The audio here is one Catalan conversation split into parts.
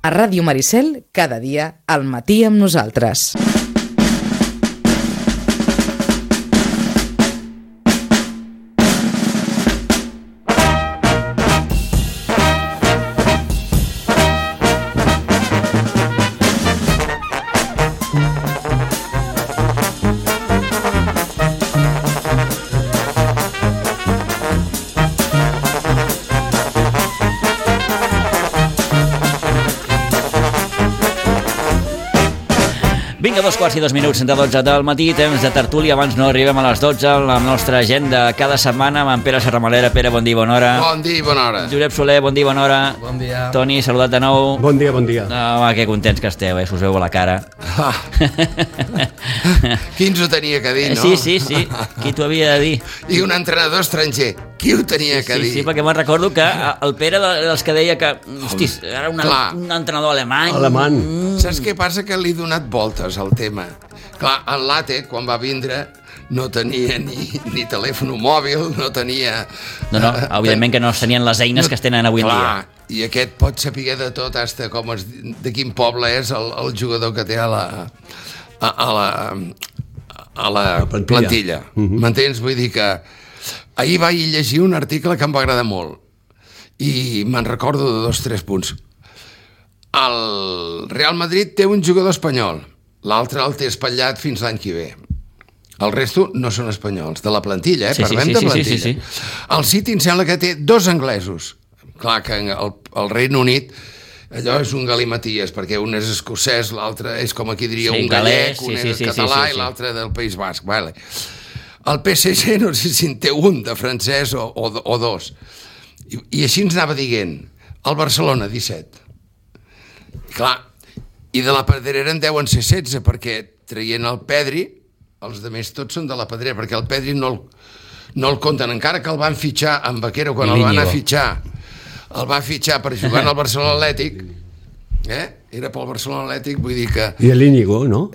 A Ràdio Maricel, cada dia, al matí amb nosaltres. Vinga, 2:02 de 12 del matí, temps de tertúlia. Abans no arribem a les 12, la nostra agenda cada setmana amb en Pere Serramalera. Pere, bon dia i bona hora. Bon dia i bona hora. Josep Soler, bon dia i bona hora. Bon dia. Toni, saludat de nou. Bon dia, bon dia. Home, que contents que esteu, us veu a la cara. Qui ens ho tenia que dir, no? Sí. Qui t'ho havia de dir? I un entrenador estranger. Qui ho tenia que dir? Sí, perquè me'n recordo que el Pere dels que deia que, hostis, era un entrenador alemany. Saps què passa? Que li he donat voltes al tema. Clar, en Late, quan va vindre, no tenia ni telèfon mòbil, no tenia... No, evidentment que no es tenien les eines que es tenen avui en dia. Clar, i aquest pot saber de tot, hasta de quin poble és el jugador que té a la plantilla. M'entens? Vull dir que ahir vaig llegir un article que em va agradar molt i me'n recordo de 2 o 3 punts. El Real Madrid té un jugador espanyol, l'altre el té espatllat fins l'any que ve. El resto no són espanyols, de la plantilla, parlem de plantilla. Sí. El City em sembla que té 2 anglesos. Clar que el Regne Unit allò és un galimaties, perquè un és escocès, l'altre és com aquí diria un gallec, un és català i l'altre del País Basc. Vale. El PSG no sé si en té un de francès o 2. I així ens anava dient. El Barcelona, 17. Clar, i de la Pedrera en deuen ser 16, perquè traient el Pedri, els altres tots són de la Pedrera, perquè el Pedri no el compten, encara que el van fitxar amb Vaquero, quan el van anar a fitxar, el va fitxar per jugar al Barcelona Atlètic, era pel Barcelona Atlètic, vull dir que... I l'Íñigo, no?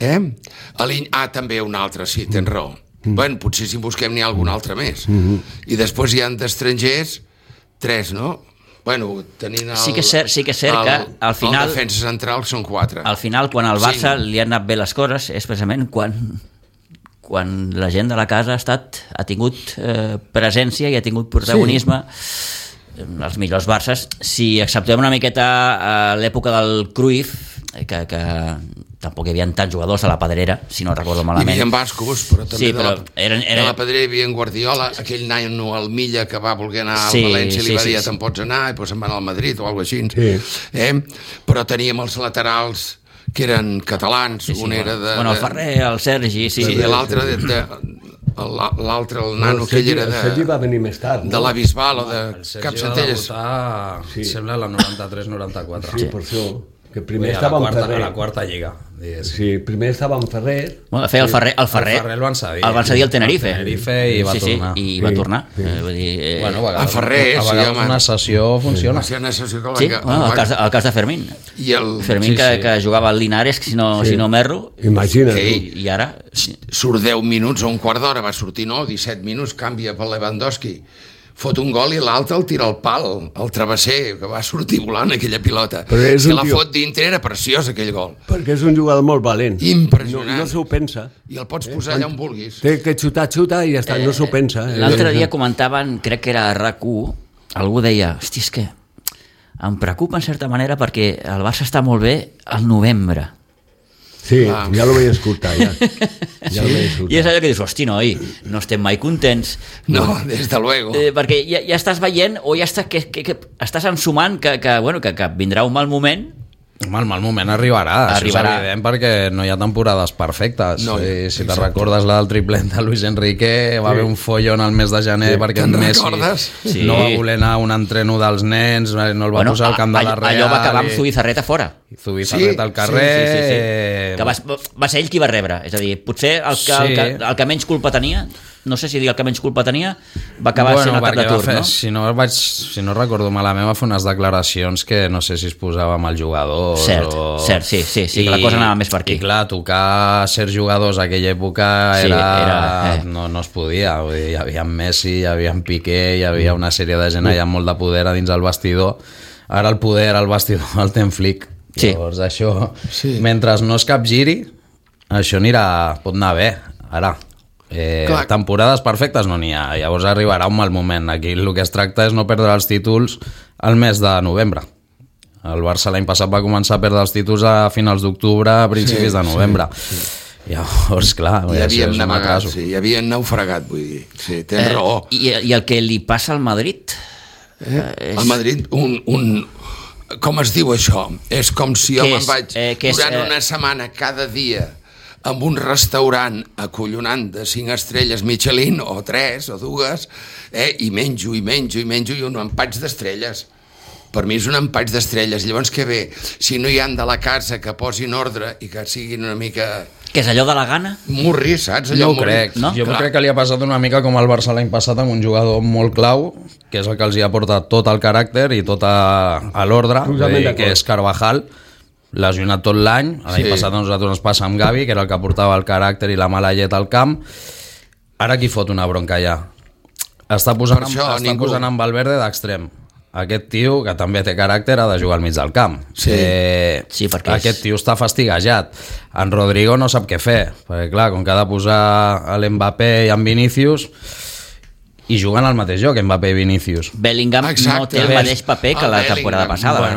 També un altre, sí, tens raó. Bueno, potser si en busquem n'hi ha algun altre més. I després hi ha d'estrangers 3, no? Bueno, tenint sí que és cert que al final... El defensa central són 4. Al final, quan al Barça li han anat bé les coses, és precisament quan la gent de la casa ha tingut presència i ha tingut protagonisme. Els millors Barças, si acceptem una miqueta l'època del Cruyff, que tampoc hi havia tants jugadors a la Pedrera, si no recordo malament. Hi havia bascos, però també de la Pedrera hi havia en Guardiola, aquell nano al Milla que va voler anar al València i li va dir te'n pots anar i se'n va anar al Madrid o alguna cosa així. Però teníem els laterals que eren catalans, un era de... Bueno, el Ferrer, el Sergi, sí. I l'altre el nano que ell era de... El Sergi va venir més tard, no? De la Bisbal o de Capcentelles. El Sergi va debutar, sembla, la 93-94. Sí, per això. Que primer estava en Ferrer. A la quarta lliga. Sí, primer estava en Ferrer. Bueno, de fet, el Ferrer el van cedir al Tenerife. I va tornar. I va tornar. Vull dir, a Ferrer, a vegades una sessió funciona. Sí, el cas de Fermín. Fermín que jugava al Linares, si no m'erro. Imagina't. I ara... Surt 10 minuts o un quart d'hora, va sortir 17 minuts, canvia per Lewandowski, fot un gol i l'altre el tira al pal, el travesser, que va sortir volant aquella pilota. Si la fot dintre era preciós aquell gol. Perquè és un jugador molt valent. Impressionant. No s'ho pensa. I el pots posar allà on vulguis. Té que xuta i ja està, no s'ho pensa. L'altre dia comentaven, crec que era a RAC1, algú deia, hosti, és que em preocupa en certa manera perquè el Barça està molt bé al novembre. Sí, ja lo vaig escoltar, ja. I és allò que dius, hosti, noi, no estem mai contents. No, des de luego. Perquè ja estàs veient, o ja estàs ensumant que vindrà un mal moment. El mal moment arribarà. Això és evident, perquè no hi ha temporades perfectes. Si te recordes la del triplet de Luis Enrique, va haver un follon al mes de gener perquè en Messi no va voler anar a un entreno dels nens, no el va posar al camp de la Real. Allò va acabar amb Zubizarreta fora. Zubizarreta al carrer. Que va ser ell qui va rebre. És a dir, potser el que menys culpa tenia, no sé si dir el que menys culpa tenia, va acabar sent el cap de turc, no? Si no recordo malament, va fer unes declaracions que no sé si es posava amb el jugador. Cert, sí, que la cosa anava més per aquí. I clar, tocar ser jugadors a aquella època no es podia. Hi havia Messi, hi havia Piqué, hi havia una sèrie de gent allà amb molt de poder a dins el vestidor. Ara el poder al vestidor el té en Flick. Sí. Llavors això, mentre no es capgiri, això pot anar bé. Ara, temporades perfectes no n'hi ha, llavors arribarà un mal moment. Aquí el que es tracta és no perdre els títols al mes de novembre. El Barça l'any passat va començar a perdre els títols a finals d'octubre, a principis de novembre. Llavors, clar, ja havien naufragat, vull dir. Sí, tens raó. I el que li passa al Madrid? Al Madrid, com es diu això? És com si jo me'n vaig durant una setmana cada dia amb un restaurant acollonant de 5 estrelles Michelin, o 3 o 2, i menjo i un empatx d'estrelles. Per mi és un empatx d'estrelles. Llavors què ve? Si no hi han de la casa que posin ordre i que siguin una mica... Que és allò de la gana? Morrir, saps? No ho crec. No? Jo crec que li ha passat una mica com al Barça l'any passat amb un jugador molt clau, que és el que els hi ha portat tot el caràcter i tot a l'ordre, que és Carvajal, lesionat tot l'any. L'any passat a nosaltres ens passa amb Gavi, que era el que portava el caràcter i la mala llet al camp. Ara qui fot una bronca ja? Està posant en Valverde d'extrem. Aquest tio, que també té caràcter, ha de jugar al mig del camp. Perquè aquest tio està fastigejat. En Rodrigo no sap què fer, perquè clar, com que ha de posar l'Mbappé i en Vinícius, i juguen al mateix joc, Mbappé i Vinícius. Bellingham no té el mateix paper que la temporada passada. I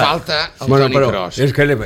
falta el Toni Kroos. És que li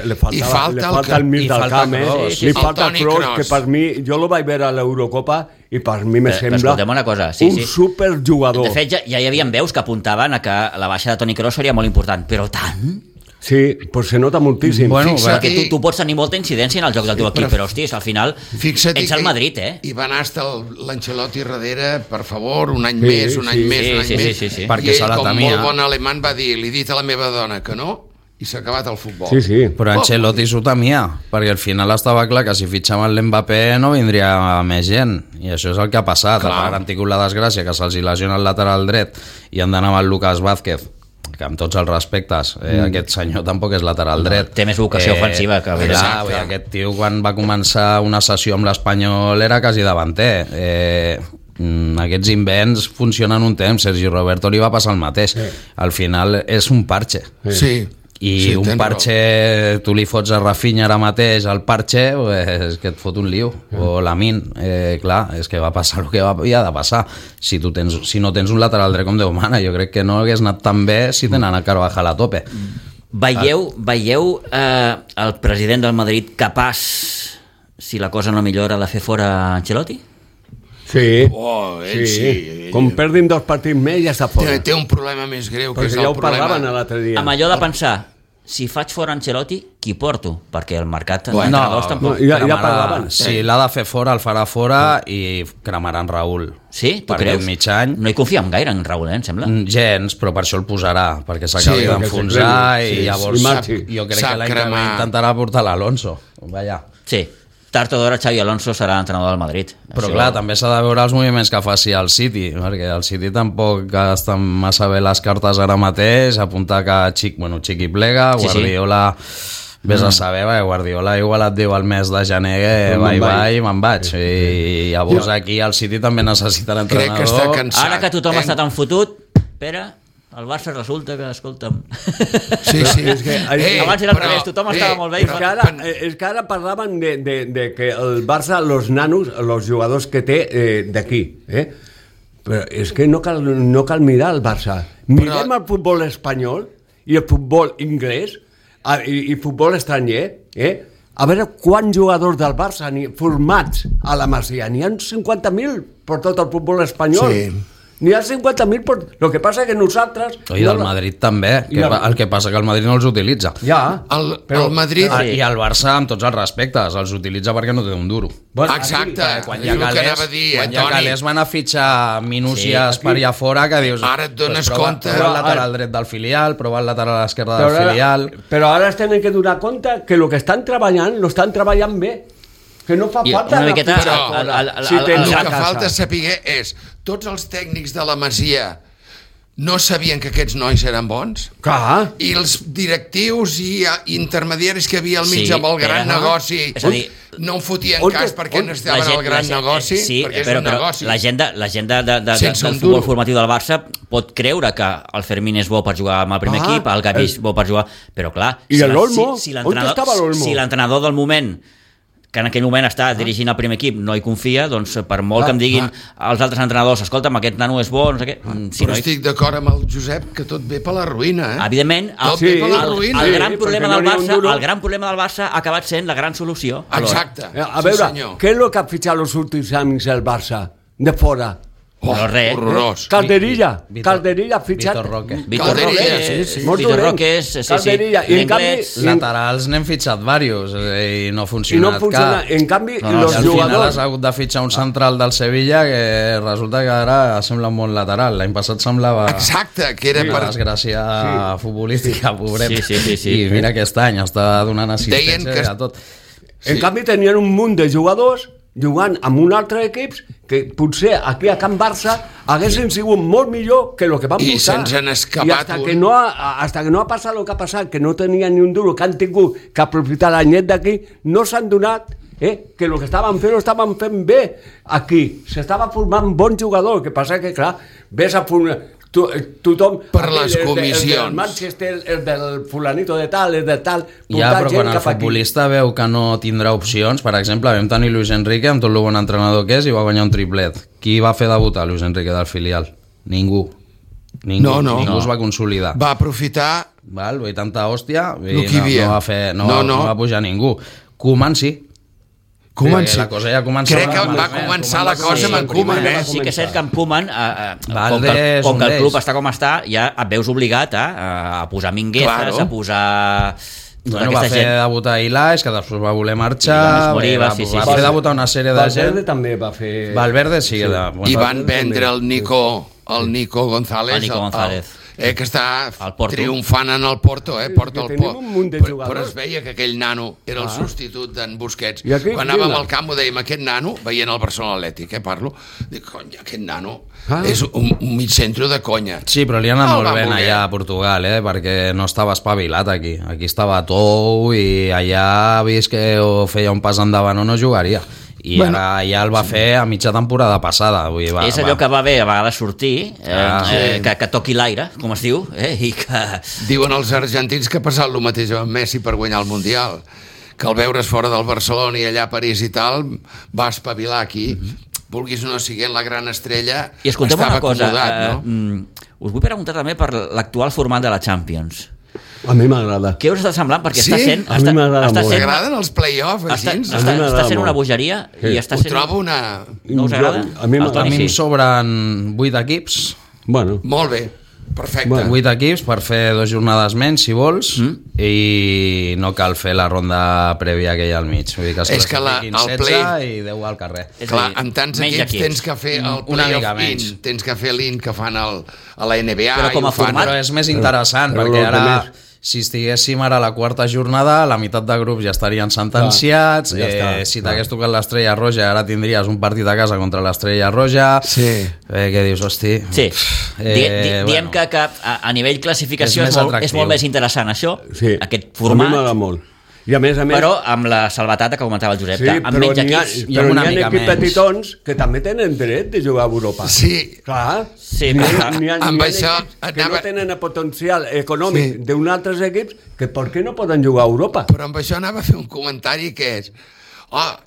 falta el mig del camp, li falta el Kroos, que per mi, jo lo vaig veure a l'Eurocopa i per mi me sembla un superjugador. De fet, ja hi havia veus que apuntaven a que la baixa de Toni Kroos seria molt important, però tant... Sí, pues se nota moltíssim. Bueno, perquè tu pots tenir molta incidència en el joc del teu equip, però hòsties, al final ets el Madrid, I va anar hasta l'Ancelotti darrere, per favor, un any més. Sí. Perquè i ell, com molt bon alemany, va dir, li he dit a la meva dona que no, i s'ha acabat el futbol. Sí. Però Ancelotti s'ho temia, perquè al final estava clar que si fitxaven l'Mbappé no vindria més gent, i això és el que ha passat. Ara han tingut la desgràcia que se'ls lesiona el lateral dret i han d'anar amb el Lucas Vázquez, que amb tots els respectes, aquest senyor tampoc és lateral dret. Té més vocació ofensiva que aquest tio, quan va començar una sessió amb l'Espanyol, era quasi davanter. Aquests invents funcionen un temps. Sergi Roberto li va passar el mateix. Al final és un parche. I un parche, tu li fots a Rafinha ara mateix al parche, és que et fot un lío. O Lamin, clar, és que va passar el que havia de passar. Si no tens un lateral dret com Déu mana, jo crec que no hagués anat tan bé si tenen a Carvajal a tope. Veieu el president del Madrid capaç, si la cosa no millora, de fer fora Ancelotti? Sí. Sí. Com perdin 2 partits més ja està fora. Té un problema més greu, que és el problema. L'altre dia. Amb allò de pensar, si faig fora Ancelotti, qui porto? Perquè el mercat d'entrenadors tampoc... Ja parlaven. Si l'ha de fer fora, el farà fora i cremaran Raúl. Sí? Tu creus? Mig any. No hi confiem gaire en Raúl, em sembla? Gens, però per això el posarà, perquè s'acabi d'enfonsar i llavors jo crec que l'any que ve intentarà portar l'Alonso. Vaja. Sí. Tard o d'hora Xavi Alonso serà l'entrenador del Madrid. Però clar, també s'ha de veure els moviments que faci el City, perquè el City tampoc està massa bé les cartes ara mateix, apuntar que Chiqui plega, Guardiola... Vés a saber, Guardiola igual et diu al mes de gener bye, me'n vaig. I llavors aquí el City també necessita l'entrenador. Crec que està cansat. Ara que tothom està tan fotut, Pere... El Barça resulta que, escolta'm... Sí. És que, abans era al revés, tothom estava molt bé. És que ara parlaven de que el Barça, los nanos, els jugadors que té d'aquí, però és que no cal mirar el Barça. Mirem el futbol espanyol i el futbol anglès i futbol estranger, a veure quants jugadors del Barça formats a la Masia. N'hi ha 50.000 per tot el futbol espanyol. Sí. N'hi ha 50.000, però el que passa que nosaltres... I del Madrid també, el que passa que el Madrid no els utilitza. Però el Madrid... I el Barça, amb tots els respectes, els utilitza perquè no té un duro. Exacte, quan hi ha calés van a fitxar minúcies per allà fora, que dius... Ara et dones compte... Prova el lateral dret del filial, prova el lateral esquerre del filial... Però ara es tenen que donar compte que el que estan treballant, lo estan treballant bé. Que no fa falta... El que falta saber és tots els tècnics de la Masia no sabien que aquests nois eren bons. Clar. I els directius i intermediaris que hi havia al mig amb el gran negoci no en fotien cas perquè no estaven al gran negoci, perquè és un negoci. La gent del futbol formatiu del Barça pot creure que el Fermín és bo per jugar amb el primer equip, el Gavi és bo per jugar, però clar, I l'Olmo? On estava l'Olmo? Si l'entrenador del moment, que en aquell moment està dirigint el primer equip, no hi confia, doncs per molt que em diguin els altres entrenadors, escolta'm, aquest nano és bo, no sé què... Però estic d'acord amb el Josep que tot ve per la ruïna, Evidentment, el gran problema del Barça ha acabat sent la gran solució. Exacte. A veure, què és el que ha fitxat els últims anys el Barça? De fora. Horrorós. Calderilla ha fitxat Vitor Roque és l'inglès. Laterals n'hem fitxat diversos i no ha funcionat cap. En canvi, els jugadors... Al final has hagut de fitxar un central del Sevilla que resulta que ara sembla un bon lateral. L'any passat semblava... Exacte, que era per... desgràcia futbolística, pobret. Sí. I mira aquest any està donant assistència a tot. En canvi tenien un munt de jugadors jugant amb un altre equip que potser aquí a Can Barça haguessin sigut molt millor que el que van posar. I se'ns han escapat hasta que no ha passat el que ha passat, que no tenia ni un duro, que han tingut que aprofitar l'anyet d'aquí, no s'han donat que el que estaven fent bé aquí. S'estava formant bon jugador, que passa que, clar, ves a tothom per les comissions, el del Manchester, el del fulanito de tal, el de tal, però quan el futbolista veu que no tindrà opcions, per exemple, vam tenir Luis Enrique amb tot el bon entrenador que és i va guanyar un triplet. Qui va fer debutar Luis Enrique del filial? Ningú es va consolidar, va aprofitar i tanta hòstia no va pujar ningú. Koeman sí. La cosa ja comença. Crec que va començar la cosa amb en Koeman. Sí que és cert que amb Koeman, com que el club està com està, ja et veus obligat a posar Minguezas, a posar... va fer debutar Ilaix, que després va voler marxar, va fer debutar una sèrie de gent. Valverde també va fer... Valverde sí. I van vendre el Nico González, que està triomfant en el Porto, però es veia que aquell nano era el substitut d'en Busquets. Quan anàvem al camp ho dèiem, aquest nano, veient el Barcelona Atlètic, parlo, dic, cony, aquest nano és un mig centre de conya. Sí, però li ha anat molt bé allà a Portugal, perquè no estava espavilat aquí estava tou i allà ha vist que feia un pas endavant o no jugaria. I ara ja el va fer a mitja temporada passada. És allò que va bé a vegades sortir, que toqui l'aire, com es diu, i que... Diuen els argentins que ha passat el mateix amb Messi per guanyar el Mundial, que al veure's fora del Barcelona i allà a París i tal, va espavilar aquí. Vulguis o no siguent la gran estrella, estava acomodat, no? Us vull preguntar també per l'actual format de la Champions. A mi m'agrada. Què us està semblant? Perquè està sent... A mi m'agrada molt. M'agraden els play-offs, així? Està sent una bogeria i està sent... Ho trobo una... No us agrada? A mi em sobren 8 equips. Molt bé, perfecte. 8 equips per fer 2 jornades menys, si vols, i no cal fer la ronda prèvia que hi ha al mig. Vull dir que es classifiquin 16 i 10 al carrer. Clar, amb tants equips tens que fer el play-off in, tens que fer l'in que fan a la NBA. Però és més interessant, perquè ara... Si estiguéssim ara a la quarta jornada, la meitat de grups ja estarien sentenciats. Si t'hagués tocat l'Estrella Roja, ara tindries un partit a casa contra l'Estrella Roja. Què dius, hosti? Sí. Diem que a nivell classificació és molt més interessant això, aquest format. A mi m'agrada molt. I a més, però amb la salvatata que comentava el Josep, amb menys equips. Però n'hi ha equips petitons que també tenen dret de jugar a Europa. Sí. Clar. N'hi ha equips que no tenen el potencial econòmic d'un altres equips que per què no poden jugar a Europa? Però amb això anava a fer un comentari que és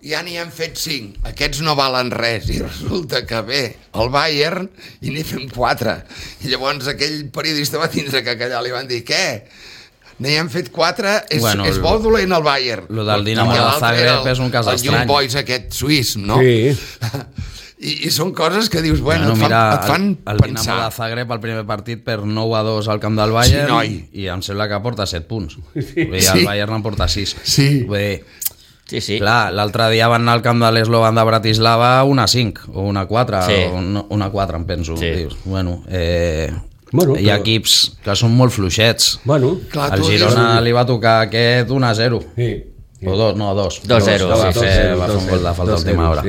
ja n'hi han fet 5, aquests no valen res, i resulta que ve el Bayern i n'hi fem 4. I llavors aquell periodista va tindre que callar, li van dir, què? N'hi han fet 4, és bo dolent el Bayern. Lo del Dinamo de Zagreb és un cas estrany. El Young Boys aquest suís, no? Sí. I són coses que dius, et fan pensar. El Dinamo de Zagreb al primer partit per 9-2 al camp del Bayern i em sembla que porta 7 punts. El Bayern en porta 6. Sí. Clar, l'altre dia van anar al camp de l'Eslovan de Bratislava 1-5 o 1-4 o 1-4 em penso. Hi ha equips que són molt fluixets. Al Girona li va tocar aquest 1-0 o 2. 2-0. Va fer un gol de falta a última hora.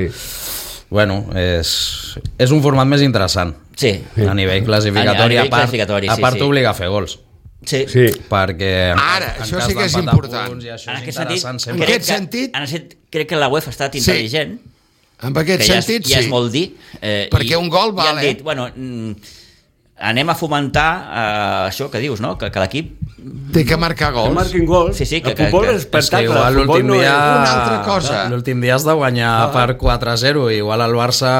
Bueno, és un format més interessant. Sí. A nivell classificatori, a part t'obliga a fer gols. Sí. Perquè ara, això sí que és important. En aquest sentit, crec que la UEFA ha estat intel·ligent. En aquest sentit, ja és molt dir. Perquè un gol val, dit, bueno, anem a fomentar això que dius, no? Que l'equip té que marcar gols. Que marquin gols. Sí, el futbol és espectacle. El futbol no és una altra cosa. L'últim dia has de guanyar per 4-0. Igual el Barça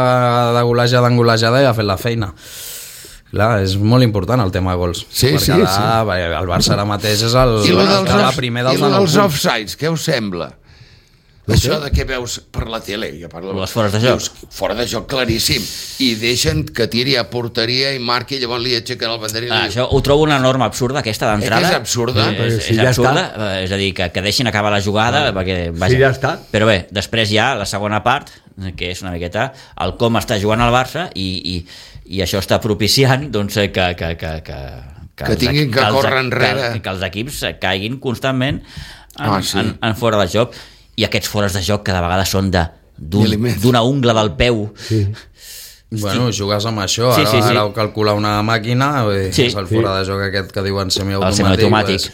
de golejada ja ha fet la feina. Clar, és molt important el tema gols. Sí. El Barça ara mateix és el primer dels 9 punts. I els offsides, què us sembla? Això de què veus per la tele, ja parlo, les fores de joc. Fora de joc claríssim, i deixen que tiri a porteria i marqui, llavors li aixequen el banderí. Això ho trobo una norma absurda, aquesta d'entrada. És absurda. És absurda, és a dir, que deixin acabar la jugada, perquè, vaja. Sí, ja està. Però bé, després hi ha la segona part, que és una miqueta el com està jugant el Barça, i això està propiciant doncs, que tinguin que córrer enrere, que els equips caiguin constantment en fora de joc, i aquests fores de joc cada vegada són d'una ungla del peu. Bueno, jugues amb això, ara ho calcula una màquina, és el fora de joc aquest que diuen semiautomàtic.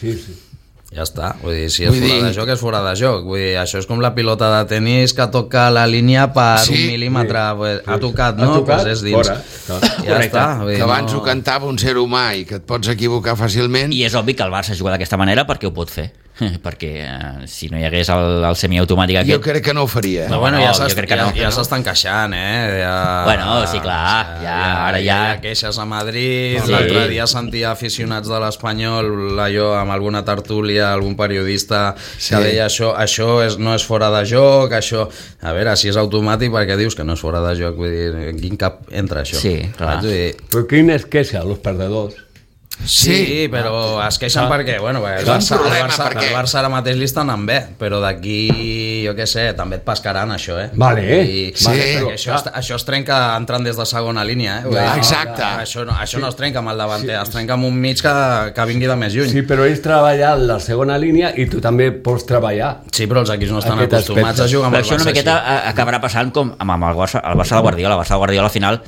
Ja està, vull dir, si és fora de joc, és fora de joc. Vull dir, això és com la pilota de tenis que toca la línia per 1 mil·límetre. Ha tocat, no? Pues és dins. Ja està. Que abans ho cantava un ser humà i que et pots equivocar fàcilment. I és obvi que el Barça juga d'aquesta manera perquè ho pot fer. Perquè si no hi hagués el semiautomàtic aquest... Jo crec que no ho faria. Ja s'estan queixant, Bueno, sí, clar. Ara ja... Queixes a Madrid, l'altre dia sentia aficionats de l'Espanyol, allò amb alguna tertúlia, algun periodista que deia això no és fora de joc, això... A veure, si és automàtic, perquè dius que no és fora de joc? Vull dir, en quin cap entra això? Sí, clar. Però quin és queixa, els perdedors? Sí, però es queixen perquè, bueno, el Barça ara mateix li estan anant bé, però d'aquí, jo què sé, també et pescaran això, Vale, això es trenca entrant des de segona línia, Exacte. Això no es trenca amb el davanter, es trenca amb un mig que vingui de més lluny. Sí, però ells treballen la segona línia i tu també pots treballar. Sí, però els equips no estan acostumats a jugar amb el Barça. Però això una miqueta acabarà passant com amb el Barça de Guardiola. El Barça de Guardiola al final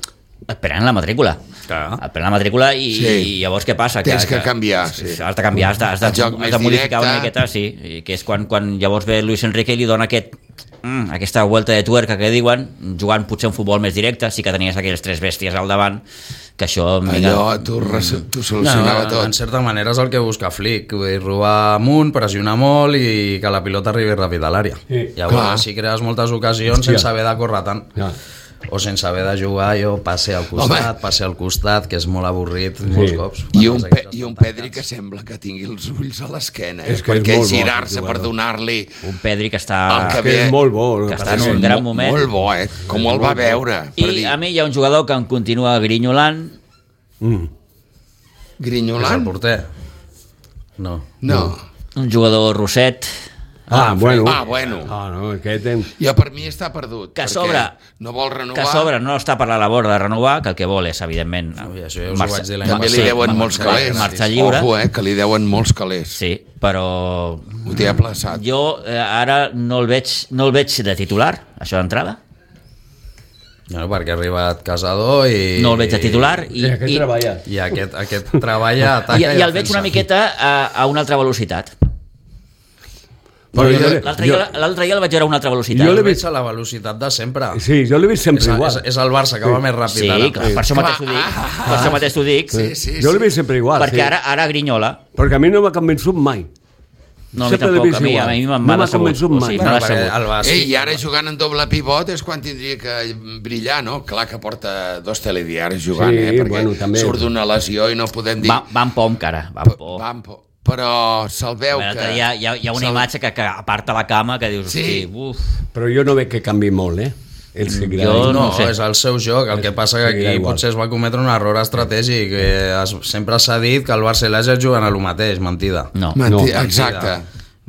et prenen la matrícula. Et prenen la matrícula i llavors què passa? Tens que canviar. Has de canviar, has de modificar una miqueta, que és quan llavors ve Luis Enrique i li dona aquesta vuelta de tuerca que diuen, jugant potser un futbol més directe, sí que tenies aquelles 3 bèsties al davant, que això... Allò t'ho solucionava tot. En certa manera és el que busca Flick, robar amunt, pressionar molt i que la pilota arribi ràpid a l'àrea. Llavors així crees moltes ocasions sense haver de córrer tant. O sense haver de jugar, passe al costat, que és molt avorrit molts cops. I un Pedri que sembla que tingui els ulls a l'esquena, perquè girar-se per donar-li... Un Pedri que està... Que és molt bo. Que està en un gran moment. Molt bo, com el va veure. I a mi hi ha un jugador que em continua grinyolant. Grinyolant? És el porter? No. Un jugador rosset... bueno. Ja per mi està perdut. Que sobre no vol renovar. Que sobre no està per la labor de renovar, que el que vol és, evidentment... També li deuen molts calés. Marxa lliure. Ojo, que li deuen molts calés. Sí, però... Ho té aplaçat. Jo ara no el veig de titular, això d'entrada. No, perquè ha arribat Casador i... No el veig de titular. I aquest treballa. I aquest treballa, ataca i el veig una miqueta a una altra velocitat. L'altre dia el vaig veure a una altra velocitat. Jo l'he vist a la velocitat de sempre. Sí, jo l'he vist sempre igual. És el Barça que va més ràpid ara. Sí, per això mateix t'ho dic. Jo l'he vist sempre igual. Perquè ara grinyola. Perquè a mi no m'ha convençut mai. No, a mi tampoc, a mi m'ha convençut mai. I ara jugant en doble pivot és quan tindria que brillar, no? Clar que porta 2 telediaris jugant, perquè surt d'una lesió i no podem dir... Van por encara, van por. Però se'l veu que... Hi ha una imatge que aparta la cama que dius... Sí. Però jo no veig que canvi molt, No, és el seu joc. El que passa que aquí potser es va cometre un error estratègic. Sempre s'ha dit que el Barça i l'Ajax juguen a lo mateix. Mentida. No. Exacte.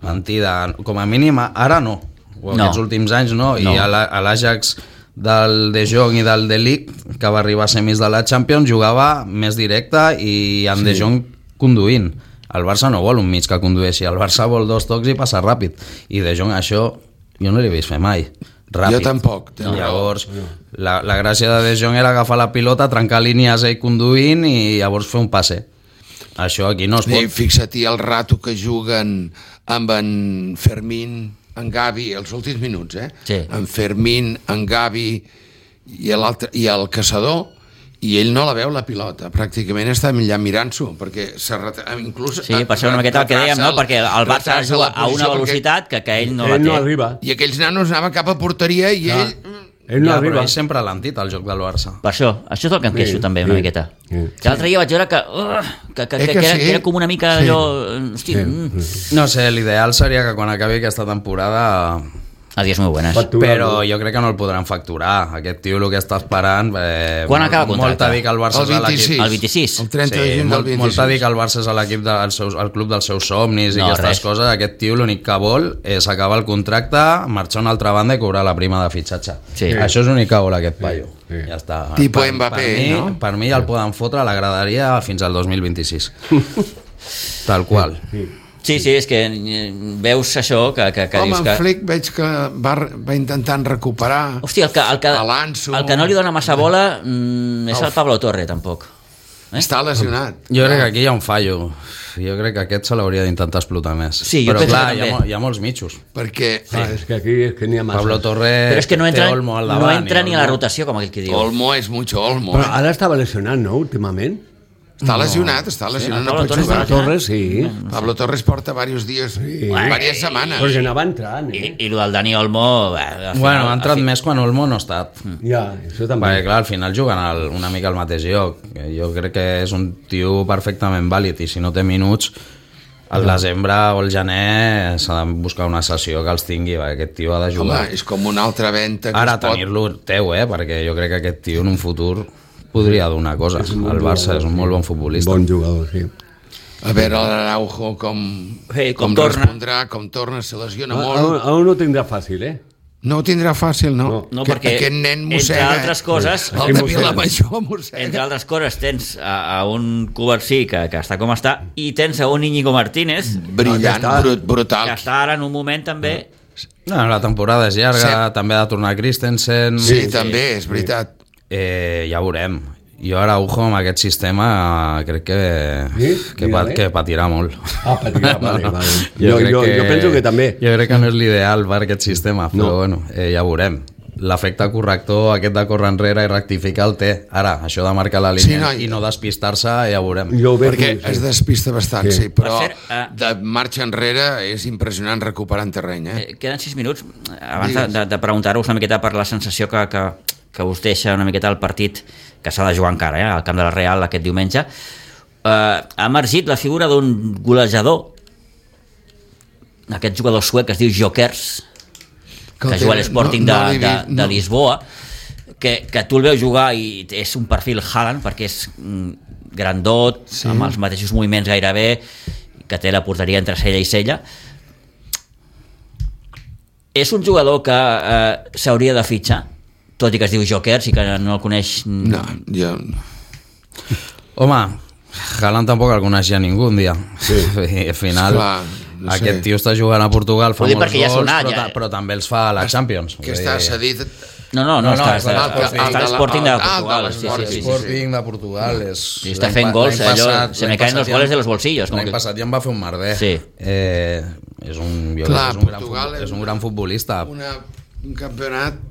Mentida. Com a mínim, ara no. Aquests últims anys no. I a l'Ajax del De Jong i del De Ligt, que va arribar a semis de la Champions, jugava més directe i amb De Jong conduint. El Barça no vol un mig que condueixi, el Barça vol 2 tocs i passar ràpid. I De Jong això jo no l'he vist fer mai. ràpid. Jo tampoc. Llavors, la gràcia de De Jong era agafar la pilota, trencar línies ell conduint i llavors fer un passe. Això aquí no es pot. Fixa-t'hi el rato que juguen amb en Fermín, en Gavi, els últims minuts, Sí. En Fermín, en Gavi i el caçador, i ell no la veu la pilota, pràcticament està allà mirant-s'ho, perquè inclús... Sí, per ser una miqueta el que dèiem, no? Perquè el Barça juga a una velocitat que ell no la té. No arriba. I aquells nanos anaven cap a porteria i ell no arriba. Però ell sempre ha lentit el joc del Barça. Per això és el que em queixo també una miqueta. Que l'altre dia vaig veure que era com una mica allò... No sé, l'ideal seria que quan acabi aquesta temporada... Adiós muy buenas. Però jo crec que no el podran facturar. Aquest tio el que està esperant... Quan acaba el contracte? Molt a dir que el Barça és l'equip... El 26? El 30 de juny del 26. Molt a dir que el Barça és l'equip el club dels seus somnis i aquestes coses. Aquest tio l'únic que vol és acabar el contracte, marxar a una altra banda i cobrar la prima de fitxatge. Això és l'únic que vol aquest paio. Ja està. Tipo Mbappé, no? Per mi el poden fotre a la graderia fins al 2026. Tal qual. Sí, és que veus això que home, dius que... en Flick veig que va intentant recuperar. Hòstia, el que no li dona massa bola és el Pablo Torre, tampoc. Està lesionat. Jo crec que aquí hi ha un fallo. Jo crec que aquest se l'hauria d'intentar explotar més. Sí, però clar, hi ha molts mitjos. Perquè... És que aquí n'hi ha massa. Pablo Torre però és que no entra, té Olmo al davant. No entra ni a la rotació, com aquell que diu. Olmo és mucho Olmo. Però ara estava lesionat, no, últimament? Està lesionat, no pot jugar. Torres, sí. Pablo Torres porta diversos dies, diverses setmanes. Però ja anava entrant, I el del Dani Olmo... Bueno, ha entrat més quan Olmo no ha estat. Ja, això també. Perquè, clar, al final juguen una mica al mateix lloc. Jo crec que és un tio perfectament vàlid i si no té minuts, al desembre o al gener s'ha de buscar una sessió que els tingui, perquè aquest tio ha de jugar. Home, és com una altra venta que ara tenir-lo teu, perquè jo crec que aquest tio en un futur podria donar coses. El Barça és un molt bon futbolista. Bon jugador, sí. A veure l'Araujo com respondrà, com torna, se lesiona molt. Ara no tindrà fàcil, No ho tindrà fàcil, no. No, perquè aquest nen mossega. Entre altres coses... El de Vilamajor mossega. Entre altres coses tens a un Covarsí que està com està i tens a un Íñigo Martínez brillant, brutal. Que està ara en un moment també... No, la temporada és llarga, també ha de tornar Christensen. Sí, també, és veritat. Ja veurem. Jo ara, amb aquest sistema crec que patirà molt. Patirà, vale. Jo penso que també. Jo crec que no és l'ideal per aquest sistema, però bueno, ja veurem. L'efecte corrector aquest de córrer enrere i rectificar el té. Ara, això de marcar la línia i no despistar-se, ja veurem. Perquè es despista bastant, sí, però de marxa enrere és impressionant recuperant terreny. Queden 6 minuts. Abans de preguntar-vos una miqueta per la sensació que us deixa una miqueta el partit que s'ha de jugar encara, al camp de la Real aquest diumenge, ha emergit la figura d'un golejador, aquest jugador suec que es diu Jokers, que juga a l'Sporting de Lisboa, que tu el veus jugar i és un perfil Haaland, perquè és grandot, amb els mateixos moviments gairebé, que té la porteria entre cella i cella. És un jugador que s'hauria de fitxar, tot i que es diu Jokers i que no el coneix... No, jo... Home, Haaland tampoc el coneixia ningú un dia. Sí. I al final, aquest tio està jugant a Portugal, fa molts gols, però també els fa a la Champions. Que està cedit... No, està al Sporting de Portugal. Sporting de Portugal. Està fent gols, se me caen los goles de los bolsillos. L'any passat ja en va fer un merder. És un gran futbolista. Un campionat...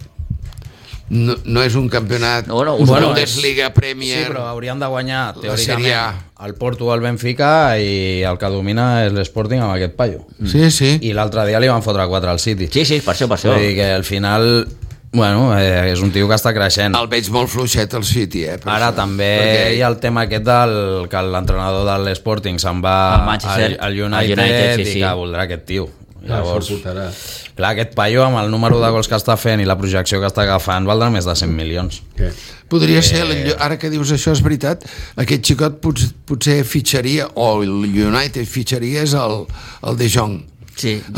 No és un campionat Bundesliga, Premier... Sí, però haurien de guanyar teòricament el Porto o el Benfica i el que domina és l'Sporting amb aquest paio. Sí. I l'altre dia li van fotre 4 al City. Sí, per això. Vull dir que al final... Bueno, és un tio que està creixent. El veig molt fluixet al City, Ara també hi ha el tema aquest que l'entrenador de l'Sporting se'n va al United i que voldrà aquest tio. Llavors, clar, aquest paio amb el número de gols que està fent i la projecció que està agafant valdrà més de 100 milions. Podria ser, ara que dius això és veritat, aquest xicot potser fitxaria, o el United fitxaria és el De Jong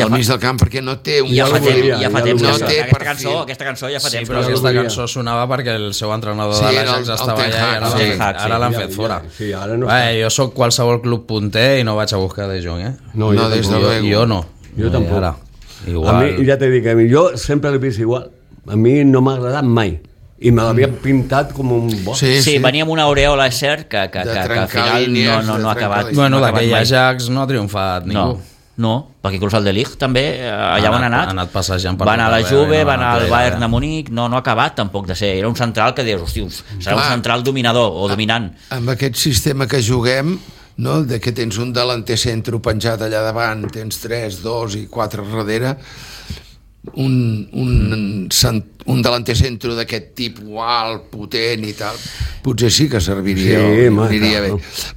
al mig del camp, perquè no té un... Ja fa temps, aquesta cançó ja fa temps. Sí, però aquesta cançó sonava perquè el seu entrenador de l'Ajax estava allà i ara l'han fet fora. Jo sóc qualsevol club punter i no vaig a buscar De Jong, No, des de luego. Jo no. Jo tampoc. A mi, ja t'he dit que jo sempre l'he vist igual. a mi no m'ha agradat mai. I me l'havien pintat com un bo. Sí, venia amb una aureola, és cert, que al final no ha acabat. Bueno, d'aquell Ajax no ha triomfat ningú. No, perquè inclús el de Ligt també, allà on ha anat. Ha anat passejant per... Va anar a la Juve, va anar al Bayern de Munic, no ha acabat tampoc de ser. Era un central que dius, hosti, serà un central dominador o dominant. Amb aquest sistema que juguem, no? De que tens un delanter centre penjat allà davant, tens 3, 2 i 4 darrere, un delanter centre d'aquest tipus alt, potent i tal, potser sí que serviria, aniria bé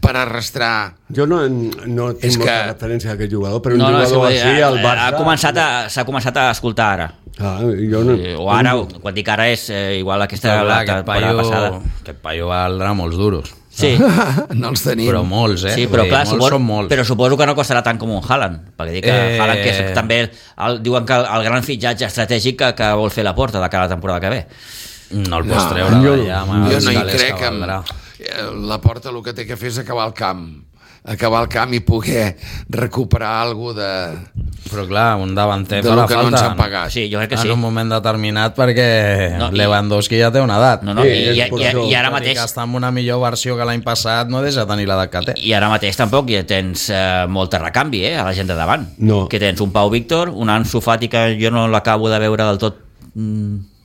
per arrastrar. Jo no tinc molta referència d'aquest jugador, però un jugador així al Barça s'ha començat a escoltar ara. O ara, quan dic ara és igual aquesta temporada passada. Aquest paio valdrà molts duros. Sí. No els tenim. Però molts, Sí, però clar, són molts. Però suposo que no costarà tant com un Haaland, perquè dic que Haaland, que és també diuen que el gran fitxatge estratègic que vol fer la Porta de cara a la temporada que ve. No el pots treure d'allà. Jo no hi crec. La Porta el que té que fer és acabar el camp i poder recuperar alguna de... Però clar, un davanter farà falta. No ens han pagat. Sí, jo crec que sí. En un moment determinat, perquè Lewandowski ja té una edat. I ara mateix... Que està en una millor versió que l'any passat no deixa tenir l'edat que té. I ara mateix tampoc ja tens molt de recanvi a la gent de davant. No. Que tens un Pau Víctor, un Ansu Fati que jo no l'acabo de veure del tot...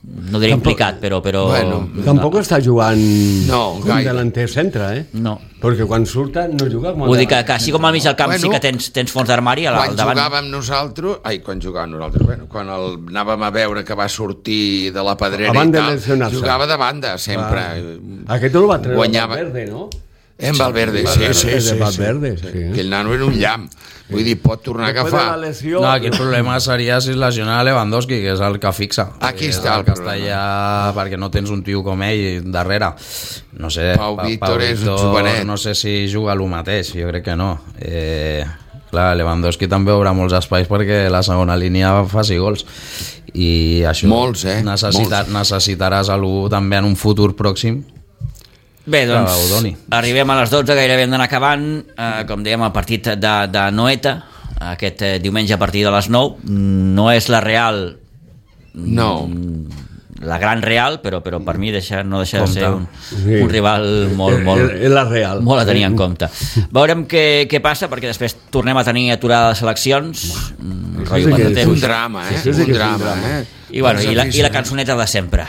no diria implicat, però... Bueno, tampoc està jugant un delanter centre, No. Perquè quan surta no juga com a... Vull dir que així com al mig del camp sí que tens fons d'armari al davant. Quan anàvem a veure que va sortir de la Pedrera i tal, jugava de banda sempre. Aquest no el va treure Valverde, no? En Valverde, sí. Aquell nano era un llamp. Vull dir, pot tornar a agafar. No, aquí el problema seria si es lesiona Lewandowski, que és el que fixa. Aquí està el problema. Perquè no tens un tio com ell darrere. No sé, Pau Víctor és un jovenet. No sé si juga el mateix, jo crec que no. Clar, Lewandowski també obre molts espais perquè la segona línia faci gols. I això molts, necessitaràs algú també en un futur pròxim. Bé, doncs arribem a les 12, gairebé hem d'anar acabant. Com dèiem, el partit de Noeta aquest diumenge a partir de les 9 no és la Real, la gran Real, però per mi no deixa de ser un rival molt a tenir en compte. Veurem què passa, perquè després tornem a tenir aturada les eleccions. Un drama, I la cançoneta de sempre.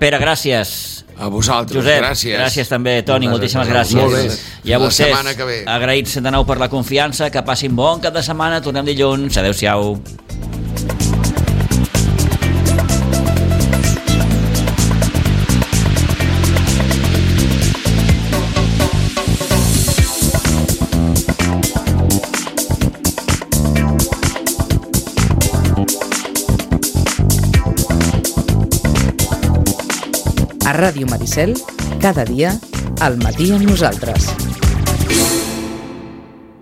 Pere, gràcies. A vosaltres, Josep, gràcies. Gràcies també, Toni, moltíssimes gràcies. I a vostès, agraïts de nou per la confiança, que passin bon cap de setmana, tornem dilluns, adeu-siau. A Ràdio Maricel, cada dia, al matí amb nosaltres.